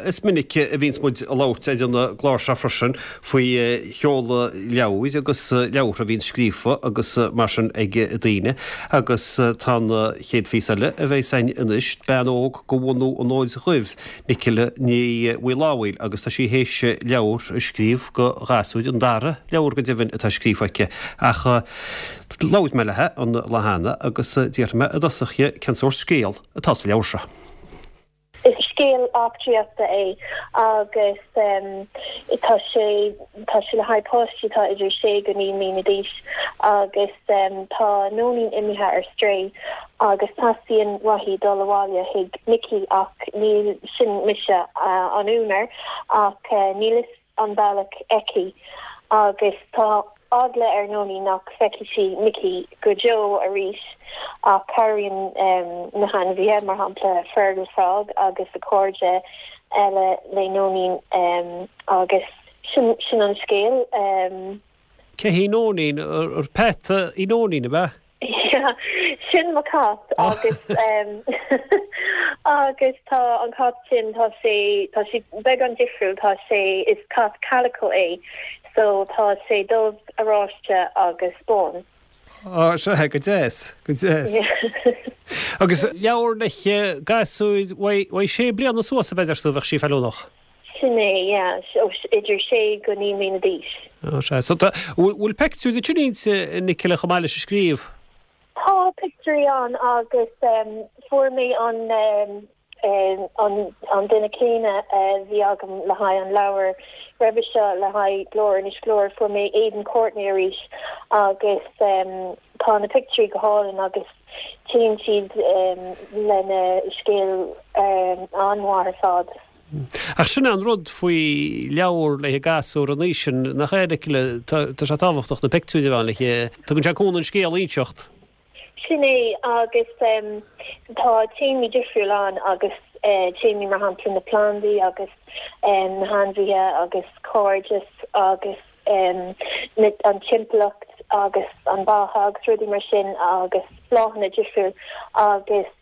Is minic a bhíonns muid ag labhairt ar an gclár seo freisin faoi sheoladh leabhair agus leabhartha a bhíonns scríofa agus mar sin ag daoine agus tá an chéad phíosa eile a bheas againn anois, bean óg de bhunadh an Fhóid Dhuibh, Nicola Ní Mhaolaodhail agus tá sí théis leabhar a scríobh do ghasúir, an dara leabhar go deimhin atá scríofa aici ach labhair mé léi an lá cheana agus d'fhiafraigh mé i dtosach dhi cén sórt scéal atá sa leabhar seo. Is scéal eachtraíochta é agus tá sé tá sé le haghaidh páistí atá idir sé go 9 mbliana d'aois agus tá Nóinín imithe ar strae agus teastaíonn uaithi dul abhaile chuig Micí ach níl, sin mise an úinéir, ach níl fhios an bealach aici agus tá eagla ar Nóinín nach bhfeicfidh sí Micí go deo arís ach cabhraíonn na hainmhithe, mar shampla Fergal Frog agus a cairde eile le Nóinín agus sin sin an scéal. Cé hí Nóinín? Ar peata í Nóinín, ab ea? Yeah, sin mo cat agus agus tá an cat sin tá sé tá sé beagán difriúil tá sé is cat calico é so tá sé dubh, oráiste agus bán. Á sea, go deas, go deas. Agus leabhar le gasúir uaidh sé bliana suas ab ea deir tú bheadh sí feiliúnach? Sin é, yeah, idir sé go 9 mbliana d'aois. Ó sea. So tá, bhfuil peictiúirí ansin inti, Nicola, chomh maith leis an scríobh? Tá pictiúirí ann agus fuair mé an an an duine céanna a bhí agam le haghaidh an leabhar roimhe seo le haghaidh Glór Inis Gluaire, fuair mé Aidan Courtney arís agus tá na pictiúirí go hálainn agus téann siad lena scéal an-mhaith ar fad. Ach sin é an rud faoi leabhar le gasúr an aois sin, nach ea, Nicola? Tá sé tábhachtach na pictiúirí a bheith ann le tugann sé cúnamh an scéal a inseacht. Sin é, agus tá téamaí difriúil ann agus téamaí mar shampla na plandaí agus na hainmhithe agus cairdeas agus an timpeallacht agus an beatha agus rudaí mar sin agus bláthanna difriúil agus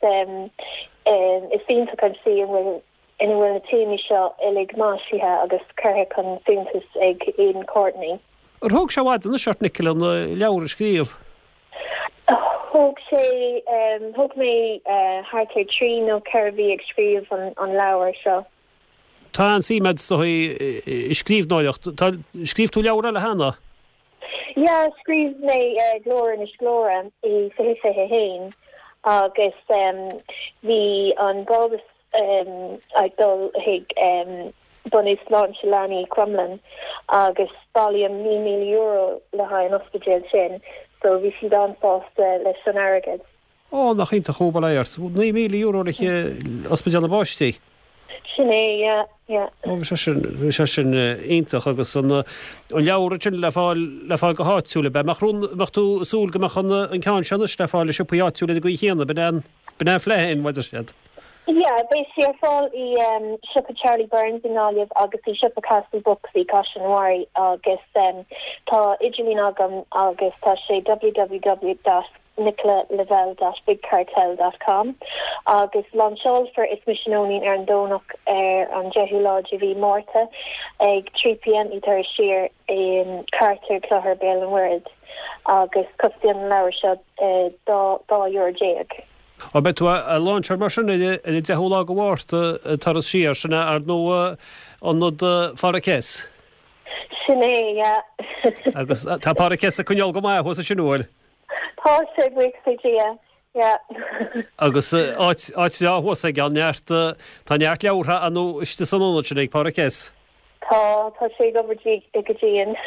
Is iontach an tslí ina bhfuil ina bhfuil na téamaí seo uilig maisithe agus curtha chun suntais ag Aidan Courtney. Ar thóg sé i bhfad anois ort, Nicola, an leabhar a scríobh? Thóg sé, thóg mé thart ar thrí nó ceithre mhí ag scríobh an leabhair seo. Tá an-suim agat is dóigh i scríbhneoireacht. Tá, scríobh tú leabhar eile cheana? Yeah, scríobh mé Glór Inis Gluaire i 2021 agus bhí an brabús ag dul chuig Bunú Sláinte Leanaí Crumlin agus bailíodh €9,000 le haghaidh an ospidéil sin so bhí siad an-sásta leis an airgead. Ó, nach iontach, bail ó Dhia ort. €9,000 le Ospidéal na bPáistí. Sin é, yeah, yeah. Ó, bhí sé sin, bhí sé sin iontach agus an, an leabhar ansin le fáil, le fáil go háitiúil, ab ea? Mbeadh rún, mbeadh tú ag súil go mbeadh an, an ceann seo anois le fáil i siopaí áitiúla ar an gcaoi chéanna, b'in é an, b'in é an phlean, mar a deir siad. Yeah, beidh sé ar fáil i siopa Charlie Byrne's i nGaillimh agus i siopa Castle Books i gCaiseal na Mara agus tá idirlíon agam agus tá sé www dot nicolalavelle dot bigcartel dot com agus lainseálfar Is Mise Nóinín ar an Domhnach ar an 10ú lá de mhí Márta ag 3 pm i dTuras Siar i Carter, Clochar, Béal an Mhuirthead agus cosnaíonn an leabhar seo 12 euro. Ó beidh tú á lainseáil mar sin ar an 10ú lá de Mhárta i Turas Siar, sin é ar ndóigh ionad Phádraig Hess. Sin é, yeah. Agus tá Pádraig Hess ag coinneáil go maith thuas ansin, an bhfuil? Tá sé, buíochas le Dia, yeah. Agus áit, áit bhreá thuas aige, neart, tá neart leabhartha ar ndóigh istigh san ionad sin ag Pádraig Hess. Tá, tá sé ag obair go dian.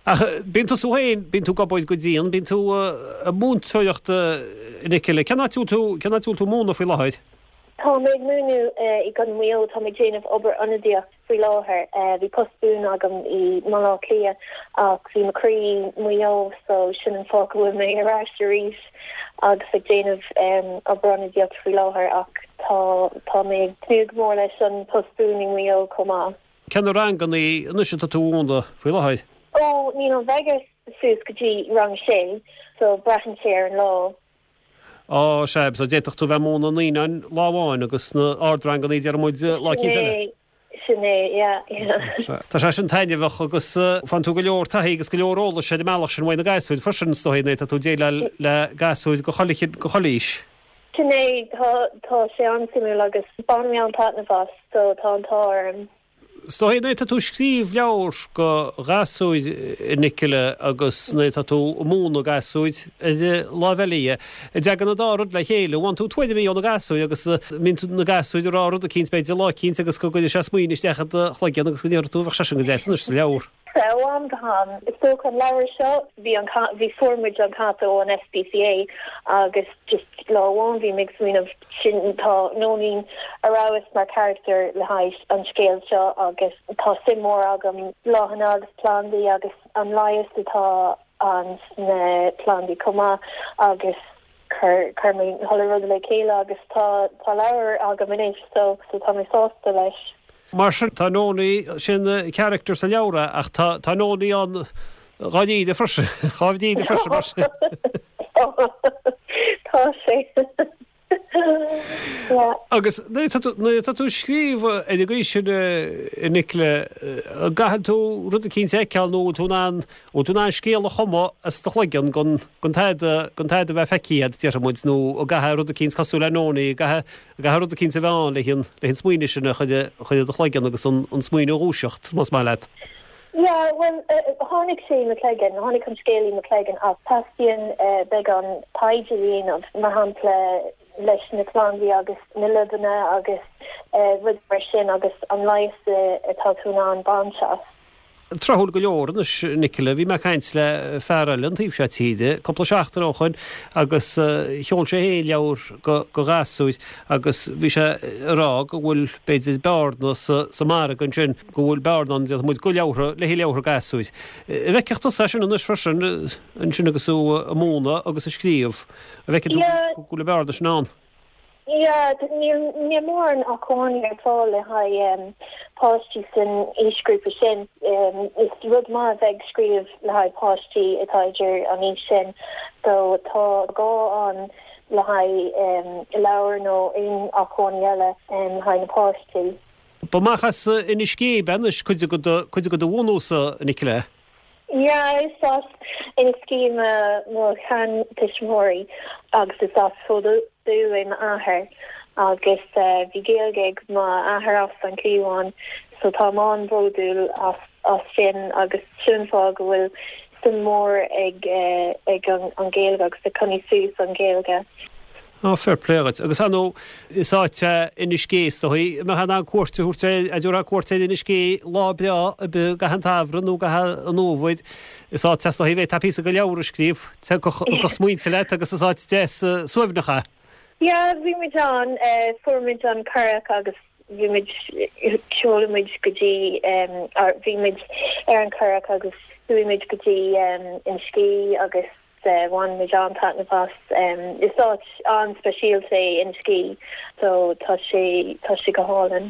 Ach bíonn tusa féin, bíonn tú ag obair go dian, bíonn tú ag múinteoireacht a Nicola. Cén áit a bhfuil tú, cén áit a bhfuil tú ag múineadh faoi láthair? Tá mé ag múineadh i gContae Mhaigh Eo, tá mé ag déanamh obair ionadaíocht. Faoi láthair, bhí post buan agam i mBaile Átha Cliath ach bhí mo chroí i Maigh Eo so sin an fáth go bhfuil mé ar ais arís agus ag déanamh obair ionadaíocht faoi láthair ach tá tá mé ag tnúth go mór leis an post buan i Maigh Eo chomh maith. Cé na ranganna anois atá tú a mhúineadh faoi láthair? Ó, níl an bheidh suas go dtí rang sé so braitheann sé ar an lá. Á, sea, so d'fhéadfadh tú bheith ag múineadh naíonáin lá amháin agus na ardranganna, déarfaidh muid, lá eicínt eile. Sin é, yeah, yeah. Tá sé sin taitneamhach agus faigheann tú go leor taithí agus go leor eolais ar an mbealach sin uaidh na gasúir freisin, is dóigh, nuair atá tú ag déileáil le gasúir de chuile, de chuile aois. Sin é, tá, tá sé an-suimiúil agus bainim an-taitneamh as, so tá an t-ádh orm. Is dóigh nuair atá tú ag scríobh leabhar go ghasúir, a Nicola, agus nuair atá tú ag múineadh gasúir ar an láimh eile dhe, an dtagann an dá rud le chéile. Faigheann tú tuairimí ó na gasúir agus mbíonn na gasúir ag rá rud eicínt b'fhéidir lá eicínt agus go gcuireann sé smaoineamh isteach i do chloigeann agus go ndéarfaidh tú bheadh sé sin go deas anois sa leabhar. Ó am go ham. Is dócha an leabhar seo, bhí an cat, bhí, fuair muid an cat ó an SPCA agus just lá amháin bhí mé ag smaoineamh sin tá Nóinín ar fheabhas mar character le haghaidh an scéil seo agus tá suim mór agam bláthanna agus plandaí agus an leigheas atá ann sna plandaí chomh maith agus chuir chuir mé chuile rud le chéile agus tá tá leabhar agam anois so so tá mé sásta leis. Mar sin tá Nóinín, sin character sa leabhar é ach tá tá Nóinín ann dháiríre freisin, dháiríre freisin mar sin. Tá sé. Yeah. Agus nuair atá tú nuair atá tú ag scríobh ar an gcaoi sin a Nicola, an gcaithfidh tú rud eicínt a fheiceáil nó bhfuil tú in ann Bhfuil tú in ann scéal a chumadh as do chloigeann gan gan tada gan tada a bheith feicthe agat, déarfaidh muid, nó an gcaithfidh rud eicínt cosúil le Nóinín, an gcaithfidh an gcaithfidh rud eicínt a bheith ann le an le an smaoineamh sin a chur a chur i do chloigeann agus an an smaoineamh a dhúiseacht, más maith leat. Yeah, bhuel, tháinig sé i mo chloigeann, tháinig an scéal i mo chloigeann ach teastaíonn beagán taighde a dhéanamh, mar shampla leis na plandaí agus na luibheanna agus rudaí mar sin agus an leigheas atá tú in ann baint as. Tráthúil go leor anois, Nicola, bhí mé ag caint le fear eile an taobh seo tíre cúpla seachtain ó shoin agus sheol sé féin leabhar go ghasúir agus bhí sé ag rá go bhfuil b'fhéidir bearna sa margadh ansin, go bhfuil bearna ann, déarfaidh muid, go leabhartha, le haghaidh leabhartha gasúir. An bhfeicfeadh tusa é sin anois freisin, ansin agus tú ag múineadh agus ag scríobh, an bhfeiceann tú go bhfuil an bhearna sin ann? Yeah, níl níl mórán acmhainní ar fáil le haghaidh páistí san aoisghrúpa sin. Is rud maith a bheith ag scríobh le haghaidh páistí atá idir an aois sin. So tá gá ann le haghaidh leabhar nó aon acmhainní eile le haghaidh na páistí. Ba amach as Inis Gé ab ea anois cuid de cuid de do bhunús, a Nicola? Yeah, is as Inis Gé mo sheantuismitheoirí agus is as Fód Dubh é m'athair agus bhí Gaeilge ag m'athair as an gCliabhán so táim an-bhródúil as as sin agus sin an fáth go bhfuil suim mhór ag ag an Ghaeilge agus ag coinneáil suas an Ghaeilge. Á, fair play dhuit. Agus ar ndóigh, is áit é Inis Gé, is dóigh, a mbeifeá in ann cuairt a thabhairt air, a dtabharfá cuairt ar Inis Gé lá breá ar bith i gcaitheamh an tsamhraidh nó i gcaitheamh an fhómhair. Is áit é, is dóigh, a bhféadfá píosa de leabhar a scríobh, thiocfadh smaointe leat agus is áit deas suaimhneach é. Yeah, bhí muid ann, fuair muid an curach agus bhí muid, sheol muid go dtí, bhí muid ar an curach agus chuaigh muid go dtí Inis Gé agus Bhain muid an-taitneamh as. Is áit an-speisialta é Inis Gé so tá sé, tá sé go hálainn.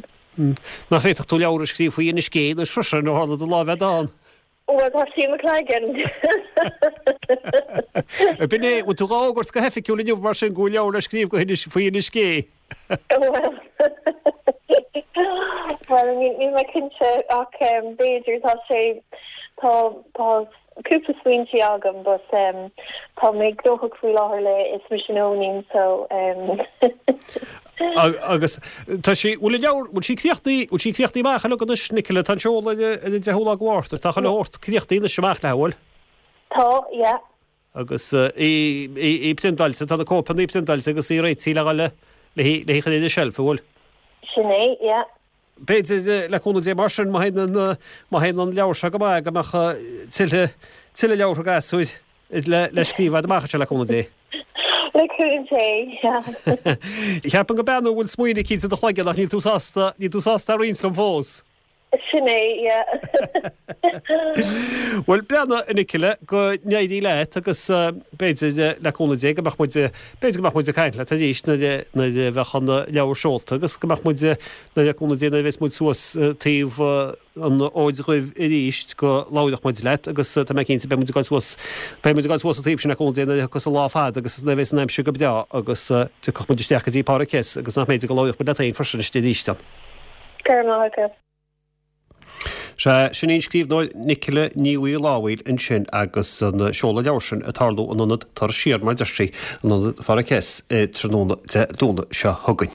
Nach bhféadfadh tú leabhar a scríobh faoi Inis Gé anois freisin, ó tharla do lá bheith ann? Bhuel, tá sé i mo chloigeann. B'in é, bhfuil tú dhá fhógairt go hoifigiúil inniu mar sin go bhfuil leabhar le scríobh go hInis, faoi Inis Gé? Bhuel, bhuel, níl mé cinnte ach b'fhéidir tá sé, tá, tá cúpla smaointe agam but tá mé gnóthach faoi láthair le Is Mise Nóinín so. Agus tá sí, bhfuil an leabhar, bhfuil sí críochnaithe, bhfuil sí críochnaithe amach uilig anois Nicola, tá an seoladh ar an 10ú lá de Mhárta, tá chuile shórt críochnaithe anois amach léi, bhfuil? Tá, yeah. Agus í, í, í priontáilte, tá na cóipeanna priontáilte agus í réitithe le dhul le, le hí, le hí chur ar an tseilf, an bhfuil? Sin é, yeah. B'fhéidir, le cúnamh Dé mar sin, má théann an, má théann an leabhar seo go maith, go mbeadh tuilleadh, tuilleadh leabhartha gasúir le, le scríobh agat amach anseo, le cúnamh Dé. Le cúnamh Dé, yeah. Cheapfainn go b'ea nó bhfuil smaoineamh eicínt i do chloigeann ach níl tú sásta, níl tú sásta a roinnt liom fós. Sin é, yeah. Bhuel, breathnaigh, a Nicola, go n-éirí leat agus b'fhéidir, le cúnamh Dé, go mbeadh muid, b'fhéidir go mbeadh muid ag caint leat arís nuair a, nuair a bheadh an leabhar seolta agus go mbeadh muid, nuair, le cúnamh Dé, nuair a bheas muid suas taobh an Fhóid Dhuibh arís go labhródh muid leat agus tá mé cinnte beidh muid ag dul suas, beidh muid ag dul suas an taobh sin le cúnamh Dé nuair a thiocfas an lá fada agus nuair a bheas an aimsir go breá agus tiocfadh muid isteach go dtí Pádraig S agus nach mb'fhéidir go labhródh muid leat féin freisin istigh arís ann. Go raibh maith agat. Sea, sin í an scríbhneoir Nicola Ní Mhaolaodhail ansin agus an seoladh leabhair sin ag tarlú in ionad Turas Siar, mar a deir sí, in ionad Phádraig Hess, tráthnóna Dé Domhnaigh seo chugainn.